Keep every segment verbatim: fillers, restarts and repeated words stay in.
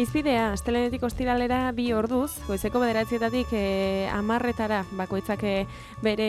Izpidea, astelehenetik ostiralera bi orduz, goizeko bederatzietatik e, amarretara bakoitzak e, bere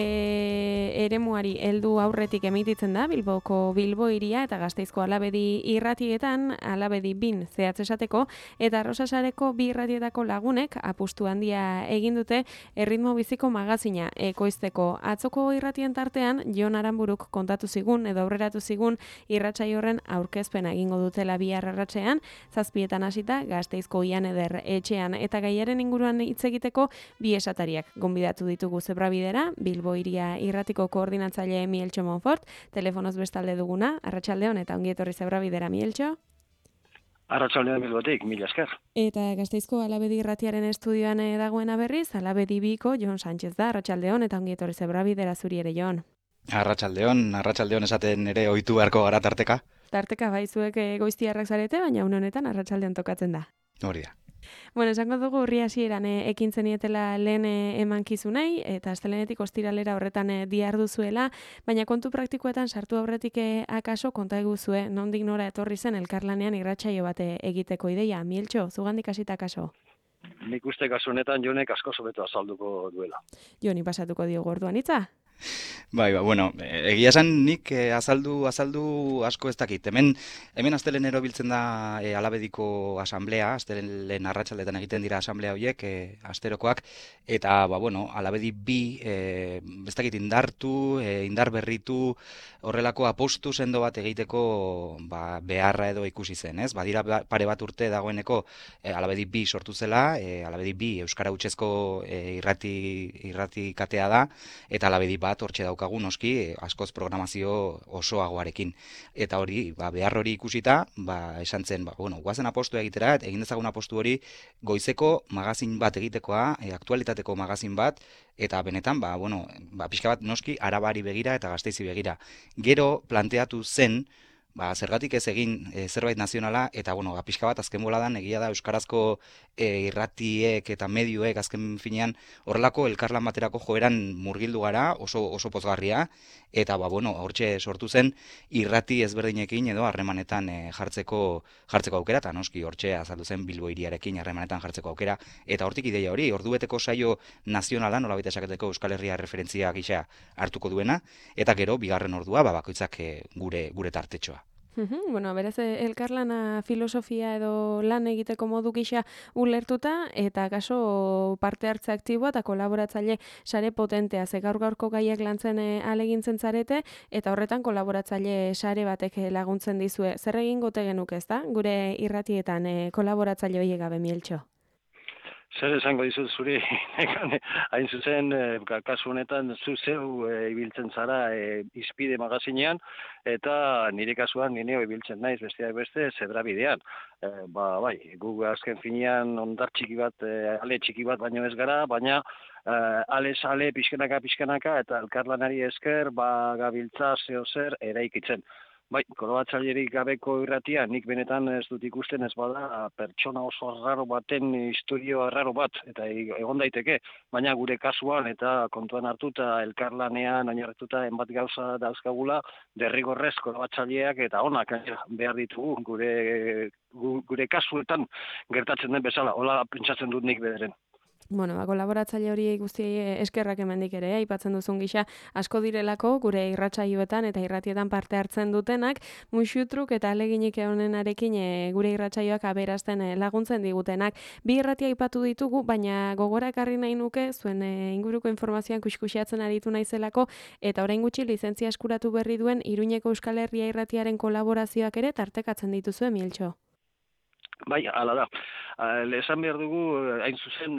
eremuari heldu aurretik emititzen da, Bilboko Bilbo hiria eta Gasteizko Alabedi irratietan, Alabedi bin zehatz esateko, eta Arrosasareko bi irratietako lagunek apustu handia egin dute erritmo biziko magazina ekoizteko. Atzoko irratien tartean, Jon Aranburuk kontatu zigun edo aurreratu zigun irratsaio horren aurkezpena egingo dutela bihar arratsean, zazpietan hasita Gasteizko Ian Eder etxean, eta gaiaren inguruan hitz egiteko bi esatariak gonbidatu ditugu Zebrabidera, Bilbo hiria irratiko koordinatzaile Mieltxo Monfort, telefonoz bestalde duguna, arratsaldeon eta ongi etorri Zebrabidera, Mieltxo. Arratsaldeon Bilbotik, mila esker. Eta Gasteizko Alabedi irratiaren estudioan dagoena berriz, Alabedi biko Jon Sánchez da, arratsaldeon eta ongi etorri Zebrabidera zuri ere, Jon. Arratsaldeon, arratsaldeon esaten ere ohitu beharko gara tarteka. Tarteka bai, zuek goiztiarrak zarete, baina une honetan arratsaldean tokatzen da. Hori da. Bueno, esango dugu urri hasieran e, ekin zenietela lehen e, emankizunei, eta astelehenetik ostiralera horretan e, diharduzuela, baina kontu praktikoetan sartu aurretik e, akaso konta eguzue, nondik nora etorri zen elkarlanean irratsaio bat egiteko ideia. Mieltxo, zugandik hasita akaso? Nik uste kasu honetan Jonek asko hobeto azalduko duela. Joni pasatuko diogu orduan hitza? Bai, ba, bueno, egia esan nik eh, azaldu azaldu asko ez dakit. Hemen hemen astelenero biltzen da eh, Alabediko asamblea, astelehen arratsaldetan egiten dira asamblea horiek, eh, asterokoak, eta ba bueno, Alabedi bi eh, ez dakit indartu, eh, indar berritu, horrelako apostu sendo bat egiteko ba, beharra edo ikusi zen, ez? Badira pare bat urte dagoeneko eh, Alabedi bi sortu zela, eh, Alabedi bi euskara hutsezko eh, irrati irrati katea da, eta Alabedi bat hortxe daukagu noski askoz programazio osoagoarekin. Eta hori, ba, behar hori ikusita, ba, esan zen, ba, bueno, guazen apostu egitera, egin dezagun apostu hori goizeko magazin bat egitekoa, e, aktualitateko magazin bat, eta benetan, ba, bueno, ba, pixka bat noski Arabari begira eta Gasteizi begira. Gero planteatu zen, ba, zergatik ez egin e, zerbait nazionala, eta bueno, ba, pixka bat azken boladan egia da euskarazko e, irratiek eta medioek azken finean horrelako elkarlan baterako joeran murgildu gara, oso oso pozgarria, eta ba bueno, hortxe sortu zen irrati ezberdinekin edo harremanetan e, jartzeko jartzeko aukera, eta noski hortxe azaldu zen Bilbo hiriarekin harremanetan jartzeko aukera, eta hortik ideia hori, ordubeteko saio nazionala, nolabait esaketeko Euskal Herria referentzia gisa hartuko duena, eta gero bigarren ordua ba bakoitzak e, gure gure tartetxoa. Uhum, bueno, beraz, elkarlana filosofia edo lan egiteko modu gisa ulertuta, eta kaso parte hartze aktiboa eta kolaboratzaile sare potentea, ze gaur gaurko gaiak lantzen ahalegintzen zarete, eta horretan kolaboratzaile sare batek laguntzen dizue. Zer egin gote genuk ez da, gure irratietan e, kolaboratzaile horiek gabe, Mieltxo? Zer esango dizut zuri, hain zuzen, e, kasu honetan, zu zeu e, ibiltzen zara e, Izpide magazinean, eta nire kasuan nire ibiltzen naiz besteak beste Zebrabidean. E, ba, bai, gu azken finean ondar txiki bat, e, ale txiki bat baino ez gara, baina e, ale sale pixkanaka pixkanaka eta elkarlanari esker ba gabiltza zeo zer eraikitzen. Bai, kolaboratzailerik gabeko irratia, nik benetan ez dut ikusten ez bada pertsona oso arraro baten historio arraro bat, eta egon daiteke, baina gure kasuan eta kontuan hartuta elkarlanean oinarrituta enbat gauza dauzkagula, derrigorrez kolaboratzaileak eta onak behar ditugu gure gure kasuetan gertatzen den bezala, hola pentsatzen dut nik bederen. Bueno, ba, kolaboratzaile hori guzti eskerrak hemendik ere, aipatzen duzun gisa asko direlako gure irratsaioetan eta irratietan parte hartzen dutenak, muxutruk eta aleginik honenarekin e, gure irratsaioak aberazten e, laguntzen digutenak. Bi irratia aipatu ditugu, baina gogora ekarri nahi nuke, zuen e, inguruko informazioan kuskusiatzen aritu naizelako, eta orain gutxi lizentzia eskuratu berri duen Iruñeko Euskal Herria irratiaren kolaborazioak ere tartekatzen dituzue, Mieltxo. Bai, hala da. Esan behar dugu, hain zuzen,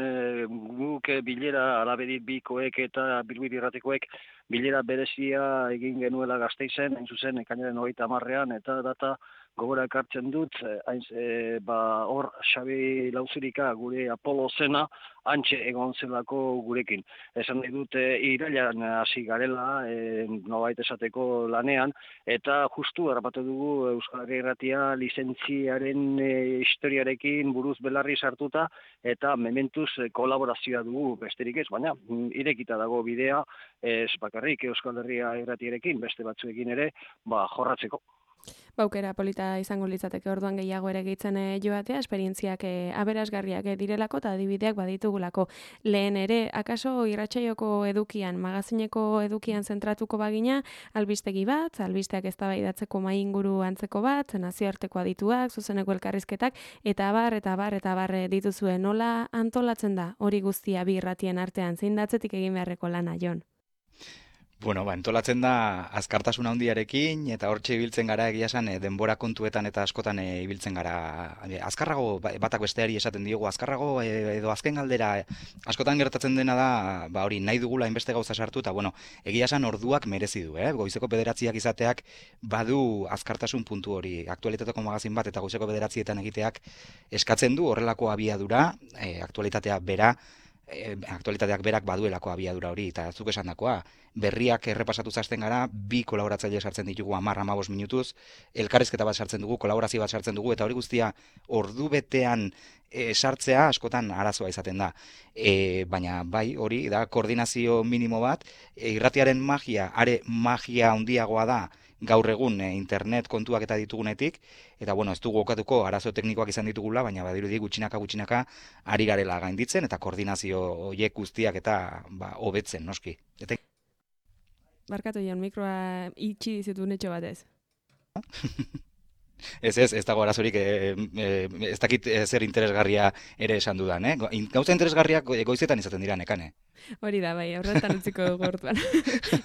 guk bilera Alabedi bikoek eta Bilbo irratikoek bilera berezia egin genuela Gasteizen, hain zuzen, ekainaren hogeita hamarrean, eta data gogora ekartzen dut, hain e, ba, hor Xabi Lauzirika gure Apolo zena, hantxe egon zelako gurekin. Esan nahi dut, e, irailan hasi garela, e, nolabait esateko lanean, eta justu harrapatu dugu Euskal Herria Irratia lizentziaren e, historiarekin buruz belarri sartuta, eta mementuz e, kolaborazioa dugu besterik ez, baina irekita dago bidea, ez bakarrik Euskal Herria Irratiarekin, beste batzuekin ere, ba, jorratzeko. Baukera polita izango litzateke orduan gehiago ere gehitzen joatea, esperientziak e, aberasgarriak direlako eta adibideak baditugulako. Lehen ere, akaso irratsaioko edukian, magazineko edukian zentratuko bagina, albistegi bat, albisteak eztabaidatzeko mahai inguru antzeko bat, nazioarteko adituak, zuzeneko elkarrizketak, eta abar, eta abar, eta abar dituzue. Nola antolatzen da hori guztia bi irratien artean, zein datzetik egin beharreko lana, Jon? Bueno, ba, entolatzen da azkartasun handiarekin eta hortxe ibiltzen gara egia esan e, denbora kontuetan eta askotan e, ibiltzen gara. E, azkarrago batak besteari esaten diogu, azkarrago e, edo azken galdera e, askotan gertatzen dena da, ba hori nahi dugula hainbeste gauza sartu eta bueno, egia esan orduak merezi du, eh? Goizeko bederatziak izateak badu azkartasun puntu hori. Aktualitateko magazin bat eta goizeko bederatzietan egiteak eskatzen du horrelako abiadura, e, aktualitatea bera, E, aktualitateak berak baduelako abiadura hori, eta zuk esandakoa, berriak errepasatu zazten gara, bi kolaboratzaile sartzen ditugu hamar hamabost minutuz, elkarrizketa bat sartzen dugu, kolaborazio bat sartzen dugu, eta hori guztia ordu betean e, sartzea askotan arazoa izaten da. E, baina bai, hori da koordinazio minimo bat, e, irratiaren magia, are magia handiagoa da, gaur egun e, internet kontuak eta ditugunetik, eta bueno, ez dugu okatuko arazo teknikoak izan ditugula, baina badirudi gutxinaka gutxinaka ari garela gainditzen, eta koordinazio horiek guztiak eta ba, hobetzen, noski. Eta... Barkatu Jon, mikroa itxi dizitu netxo batez. Ez ez, ez dago arazorik, e, e, ez dakit zer interesgarria ere esan dudan, eh? Gauza interesgarriak goizetan izaten dira nekane. Hori da, bai, horretan utziko dugu hortuan.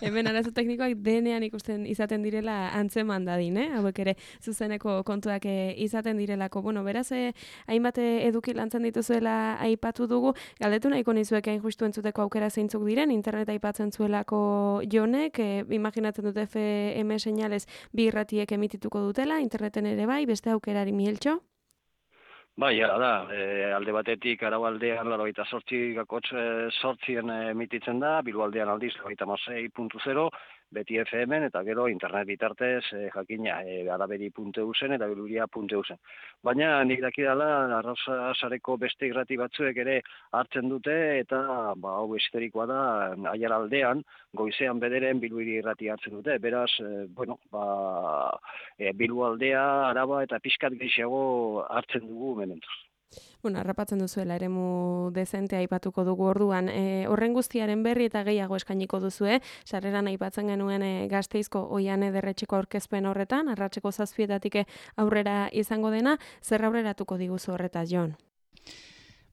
Hemen arazo teknikoak denean ikusten izaten direla antzeman dadin, eh? Hauek ere zuzeneko kontuak izaten direlako. Bueno, beraz, eh, hainbat eduki lantzen dituzuela aipatu dugu, galdetu nahiko nizuek hain justu entzuteko aukera zeintzuk diren, internet aipatzen zuelako Jonek, eh, imaginatzen dute F M señales bi irratiek emitituko dutela, interneten ere bai, beste aukerari Mieltxo? Bai, ara da, e, alde batetik araualdean laurogeita zortzi gakotx zortzien emititzen da, Bilboaldean aldiz laurogeita hamasei puntu zero, beti F M-en eta gero internet bitartez e, jakina e, araberi puntu e u zen eta biluria puntu e u zen. Baina nik dakidala arraza sareko beste irrati batzuek ere hartzen dute eta ba, hau esterikoa da aiaraldean, goizean bederen Bilbiri irrati hartzen dute. Beraz, e, bueno, ba, e, Bilboaldea, Araba eta pixkat gehiago hartzen dugu mementuz. Bueno, harrapatzen duzuela eremu dezentea aipatuko dugu orduan. E, horren guztiaren berri eta gehiago eskainiko duzue, sarreran aipatzen genuen e, Gasteizko Oian Ederretxeko aurkezpen horretan, arratseko zazpietatik aurrera izango dena, zer aurreratuko diguzu horretaz, Jon?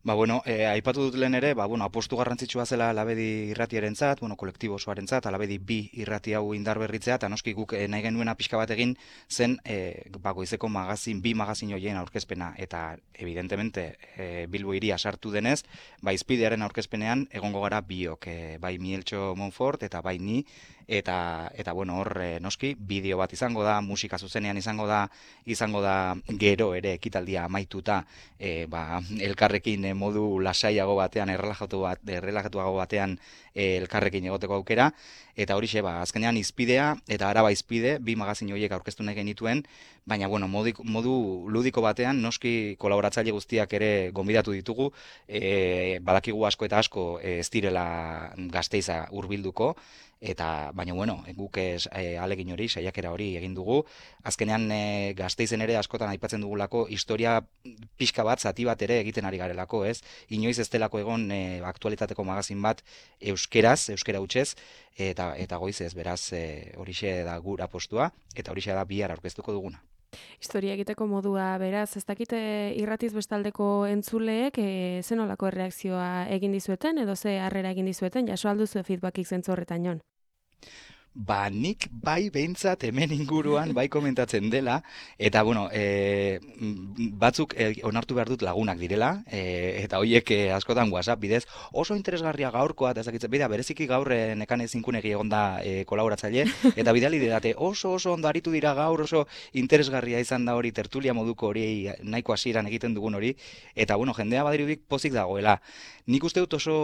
Ba, bueno, e, aipatu dut lehen ere, ba, bueno, apostu garrantzitsua zela Alabedi irratierentzat, bueno, kolektibo osoarentzat, Alabedi bi irrati hau indar berritzea, eta noski guk e, nahi genuena pixka bat egin zen, e, ba, goizeko magazin, bi magazin hoien aurkezpena, eta evidentemente e, Bilbo hiria sartu denez, ba, izpidearen aurkezpenean egongo gara biok, e, bai Mieltxo Monfort eta bai ni, eta, eta bueno, hor e, noski, bideo bat izango da, musika zuzenean izango da, izango da gero ere ekitaldia amaituta, e, ba, elkarrekin modu lasaiago batean, errelajatu bat, errelajatuago batean e, elkarrekin egoteko aukera, eta horixe, ba, azkenean izpidea eta Araba izpide, bi magazin horiek aurkeztu nahi genituen, baina, bueno, modu, modu ludiko batean, noski kolaboratzaile guztiak ere gonbidatu ditugu, e, badakigu asko eta asko e, ez direla Gasteiza hurbilduko, eta baina bueno, guk ez e, alegin hori, saiakera hori egin dugu. Azkenean e, Gasteizen ere askotan aipatzen dugulako historia pixka bat, zati bat ere egiten ari garelako, ez? Inoiz ez delako egon e, aktualitateko magazin bat euskeraz, euskera hutsez, eta eta goiz ez, beraz e, horixe da gura postua, eta horixe da bihar aurkeztuko duguna. Historia egiteko modua, beraz, ez dakite irratiz bestaldeko entzuleek e, zenolako erreakzioa egin dizueten, edo ze harrera egin dizueten, jaso alduzu feedbackik zentzu horretan, Jon? Ba, nik bai behintzat hemen inguruan bai komentatzen dela, eta bueno, e, batzuk e, onartu behar dut lagunak direla, e, eta horiek e, askotan WhatsApp bidez, oso interesgarria gaurkoa, eta ezakitzen, bida, bereziki gaur e, nekane zinkunegi egon da e, kolaboratzaile, eta bidali didate, oso oso ondo aritu dira gaur, oso interesgarria izan da hori, tertulia moduko hori, nahiko hasieran egiten dugun hori, eta bueno, jendea badirudik pozik dagoela. Nik uste dut oso,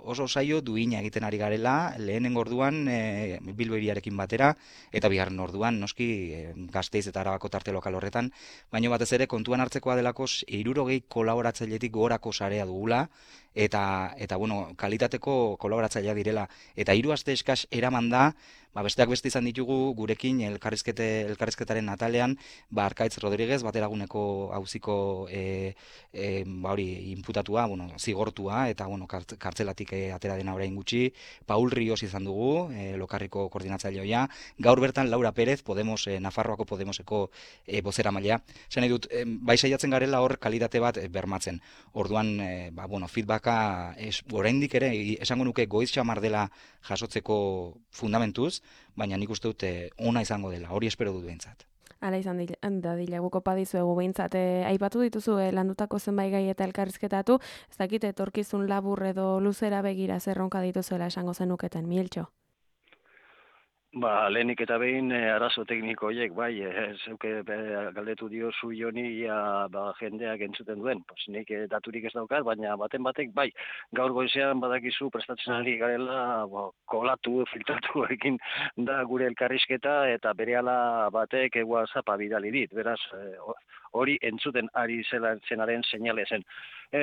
oso saio duina egiten ari garela, lehenengo orduan e, Bilbo hiriarekin batera, eta bigarren orduan, noski, e, Gasteiz eta Arabako tarte lokal horretan, baina batez ere kontuan hartzekoa delako hirurogei kolaboratzailetik gorako sarea dugula, eta, eta bueno, kalitateko kolaboratzailea direla. Eta hiru aste eskas eraman da, ba, besteak beste izan ditugu gurekin elkarrizkete, elkarrizketaren atalean, ba, Arkaitz Rodriguez, bateraguneko auziko e, e, ba, hori, inputatua, bueno, zigortua, eta bueno, kartzelatik e, atera dena orain gutxi, Paul Rios izan dugu, e, Lokarriko koordinatzaileoia, gaur bertan Laura Pérez, Podemos, e, Nafarroako Podemoseko e, bozeramailea. Esan nahi dut, e, bai saiatzen garela hor kalitate bat e, bermatzen. Orduan, e, ba, bueno, feedbacka es, oraindik ere, esango nuke goiz xamar dela jasotzeko fundamentuz, baina nik uste dute ona izango dela, hori espero dut behintzat. Hala izan da dila guko padizuegu behintzat. E, aipatu dituzu e, landutako zenbait gai eta elkarrizketatu, ez dakit etorkizun labur edo luzera begira zerronka dituzuela esango zenuketen, Mieltxo? Ba, lehenik eta behin e, arazo tekniko horiek, bai, e, zeuke e, galdetu dio zu joni ia, ba, jendeak entzuten duen. Pues, nik e, daturik ez daukat, baina baten batek, bai, gaur goizean badakizu prestatzen ari garela, ba, kolatu, filtratu egin da gure elkarrizketa, eta berehala batek e, WhatsAppa bidali dit, beraz, e, hori entzuten ari zela zenaren seinale zen. E,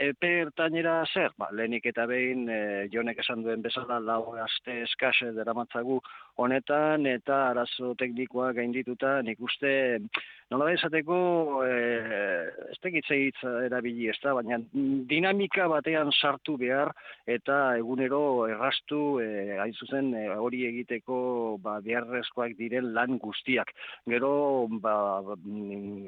epe ertainera zer? Ba, lehenik eta behin e, jonek esan duen bezala lau aste eskas deramatzagu honetan eta arazo teknikoa gaindituta nik uste nola da esateko e, ez tekitze hitz erabili ez da, baina dinamika batean sartu behar eta egunero errastu e, hain zuzen e, hori egiteko ba, beharrezkoak diren lan guztiak. Gero ba,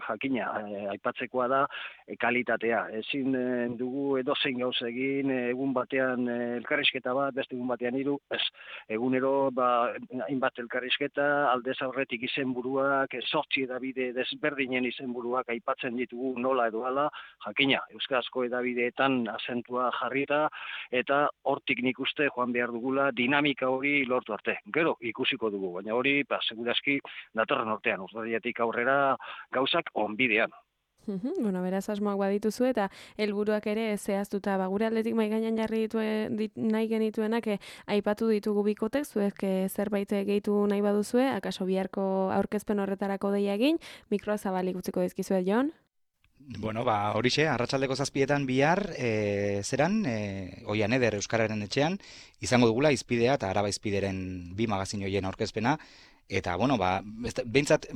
jakina, e, aipatzekoa da e, kalitatea. Ezin e, dugu edozein gauza egin e, egun batean e, elkarrizketa bat, beste egun batean hiru, ez. Egunero ba, hainbat elkarrizketa, aldez aurretik izenburuak, sortzi edabide desberdinen izenburuak aipatzen ditugu nola edo hala, jakina, euskarazko edabideetan azentua jarrita, eta hortik nik uste joan behar dugula dinamika hori lortu arte. Gero ikusiko dugu, baina hori, ba, segurazki, datorren urtean, urtadiatik aurrera gauzak onbidean. Bueno, beraz asmoak badituzu eta helburuak ere zehaztuta, ba, gure aldetik mai gainean jarri ditue, dit, nahi genituenak e, aipatu ditugu bikotek, zuek e, zerbait gehitu nahi baduzue, akaso biharko aurkezpen horretarako deia egin, mikroa zabalik utziko dizkizuet, Jon? Bueno, ba, horixe, arratsaldeko zazpietan bihar, e, zeran, e, Oian Eder Euskararen etxean, izango dugula Izpidea eta Araba Izpideren bi magazin horien aurkezpena, eta, bueno, ba, behintzat,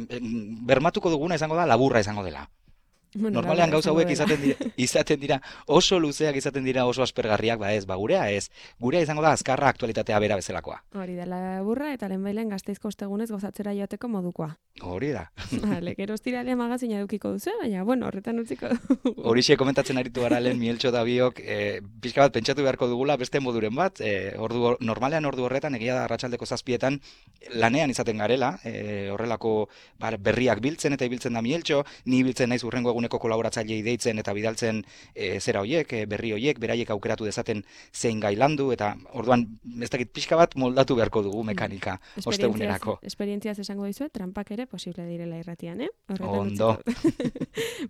bermatuko duguna izango da, laburra izango dela. Bueno, normalean gauza hauek izaten dira, izaten dira, oso luzeak izaten dira, oso aspergarriak, ba ez, ba gurea ez. Gurea izango da azkarra aktualitatea bera bezalakoa. Hori da, laburra eta lehenbailen Gasteizko ostegunez gozatzera joateko modukoa. Hori da. Vale, gero ostiralea magazina edukiko duzu, baina, bueno, horretan utziko. Horixe komentatzen aritu gara lehen Mieltxo da biok, e, pixka bat pentsatu beharko dugula beste moduren bat, e, ordu, normalean ordu horretan, egia da arratsaldeko zazpietan, lanean izaten garela, e, horrelako bar, berriak biltzen eta ibiltzen da Mieltxo, ni biltzen naiz urrengo eguneko kolaboratzailei deitzen eta bidaltzen e, zera hoiek, e, berri hoiek, beraiek aukeratu dezaten zein gai landu, eta orduan, ez dakit pixka bat moldatu beharko dugu mekanika ostegunerako. Esperientziaz esango dizuet, trampak ere posible direla irratian, eh? Horretan Ondo.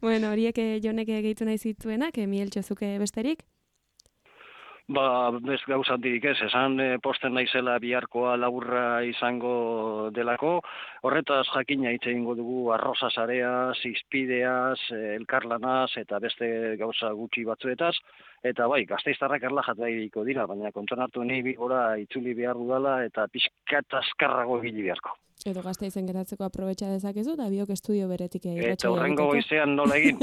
Bueno, horiek jonek gehitu nahi zituenak, Mieltxo zuke besterik? Ba, bez gauza handirik ez, esan e, posten naizela biharkoa laburra izango delako, horretaz jakina hitz egingo dugu arroza sareaz, izpideaz, elkarlanaz eta beste gauza gutxi batzuetaz, eta bai, gasteiztarrak erlajat behiko dira, baina kontuan hartu nahi bigora itzuli behar dudala eta pixkat azkarrago egili beharko. Edo Gasteizen geratzeko aprobetxa dezakezu, da biok estudio beretik irratsaioa. Eta horrengo goizean nola egin,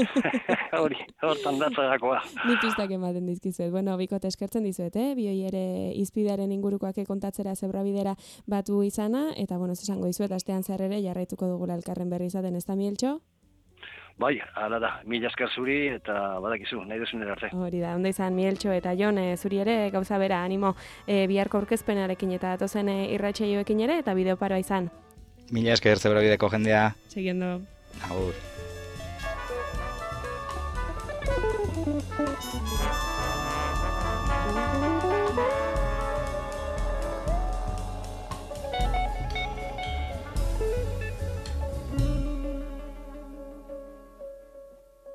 hori, hortan datzagakoa. Ni pistak ematen dizkizuet. Bueno, bikote eskertzen dizuet, eh? Bioi ere Izpidearen ingurukoak kontatzera zebrabidera batu izana, eta bueno, esango dizuet, astean zer ere jarraituko dugula elkarren berri izaten, ez da Mieltxo? Bai, hala da, mila esker zuri eta badakizu, nahi duzun arte. Hori da, onda izan Mieltxo eta Jon, e, zuri ere gauza bera, animo e, biharko aurkezpenarekin eta datozen e, irratsaioekin ere eta bideo paroa izan. Mila esker zebrabideko jendea. Seguiendo. Agur. Thank you.